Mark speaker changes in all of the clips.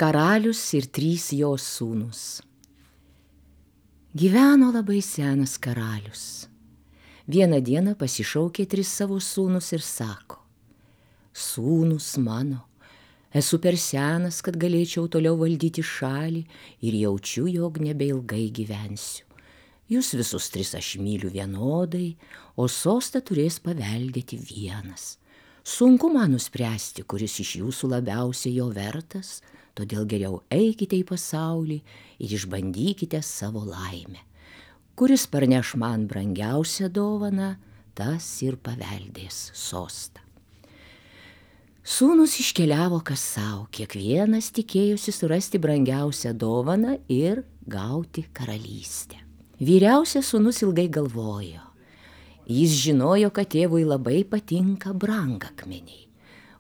Speaker 1: Karalius ir 3 jo sūnūs. Gyveno labai senas karalius. Vieną dieną pasišaukė 3 savo sūnus ir sako: Sūnus mano, esu per senas, kad galėčiau toliau valdyti šalį ir jaučiu, jog nebeilgai gyvensiu. Jūs visus 3 aš myliu vienodai, o sostą turės paveldėti vienas. Sunku man nuspręsti, kuris iš jūsų labiausiai jo vertas, todėl geriau eikite į pasaulį ir išbandykite savo laimę. Kuris parneš man brangiausią dovaną, tas ir paveldės sostą. Sūnus iškeliavo kas savo, kiekvienas tikėjosi surasti brangiausią dovaną ir gauti karalystę. Vyriausias sūnus ilgai galvojo. Jis žinojo, kad tėvui labai patinka brangakmeniai.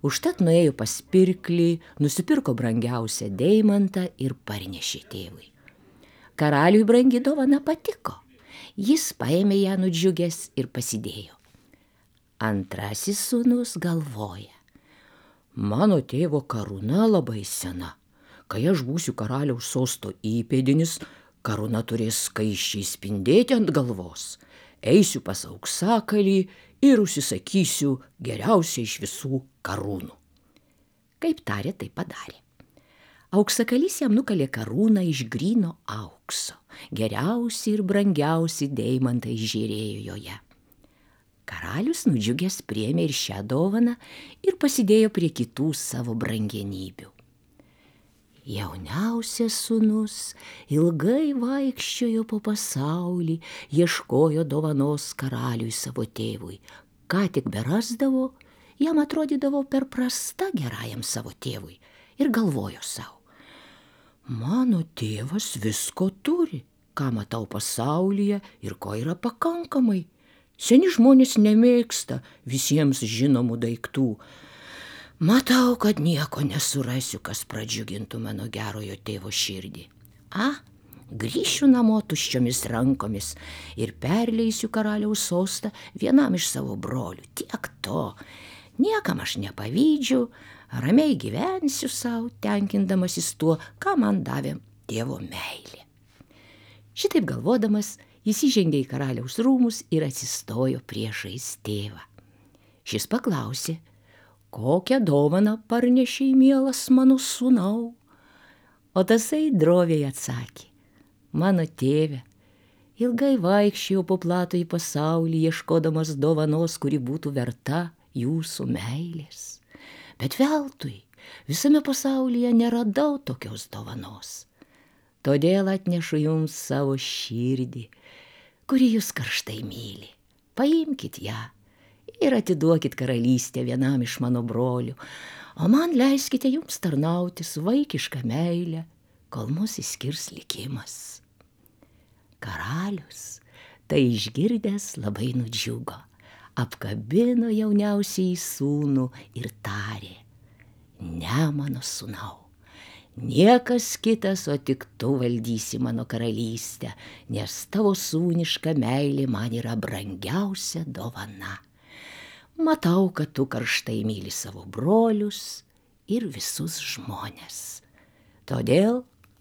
Speaker 1: Užtat nuėjo pas pirklį, nusipirko brangiausią deimantą ir parnešė tėvui. Karaliui brangi dovana patiko. Jis paėmė ją nudžiugęs ir pasidėjo. Antrasis sūnus galvoja: mano tėvo karūna labai sena. Kai aš būsiu karaliaus sosto įpėdinis, karūna turės skaisčiai spindėti ant galvos. Eisiu pas auksakalį ir užsisakysiu geriausią iš visų karūnų. Kaip tarė, tai padarė. Auksakalys jam nukalė karūną iš gryno aukso. Geriausi ir brangiausi deimantai žėrėjo joje. Karalius nudžiugęs priėmė ir šią dovaną ir pasidėjo prie kitų savo brangenybių. Jauniausias sūnus ilgai vaikščiojo po pasaulį, ieškojo dovanos karaliui savo tėvui. Ką tik berasdavo, jam atrodydavo per prasta gerajam savo tėvui ir galvojo savo: mano tėvas visko turi, ką matau pasaulyje ir ko yra pakankamai. Seni žmonės nemėgsta visiems žinomų daiktų. Matau, kad nieko nesurasiu, kas pradžiugintų mano gerojo tėvo širdį. Grįšiu namo tuščiomis rankomis ir perleisiu karaliaus sostą vienam iš savo brolių. Tiek to. Niekam aš nepavydžiu, ramiai gyvensiu savo, tenkindamasis tuo, ką man davė tėvo meilė. Šitaip galvodamas, jis įžengė į karaliaus rūmus ir atsistojo priešais tėvą. Šis paklausė: kokią dovaną parnešei, mielas mano sūnau? O tasai droviai atsakė: mano tėve, ilgai vaikščiojau po platųjį pasaulį, ieškodamas dovanos, kuri būtų verta jūsų meilės. Bet veltui, visame pasaulyje neradau tokios dovanos. Todėl atnešu jums savo širdį, kuri jūs karštai myli. Paimkit ją ir atiduokit karalystę vienam iš mano brolių, o man leiskite jums tarnauti su vaikiška meile, kol mus išskirs likimas. Karalius, tai išgirdęs, labai nudžiugo, apkabino jauniausiąjį sūnų ir tarė: ne, mano sūnau, niekas kitas, o tik tu valdysi mano karalystę, nes tavo sūniška meilė man yra brangiausia dovana. Matau, kad tu karštai myli savo brolius ir visus žmones. Todėl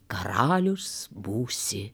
Speaker 1: karalius būsi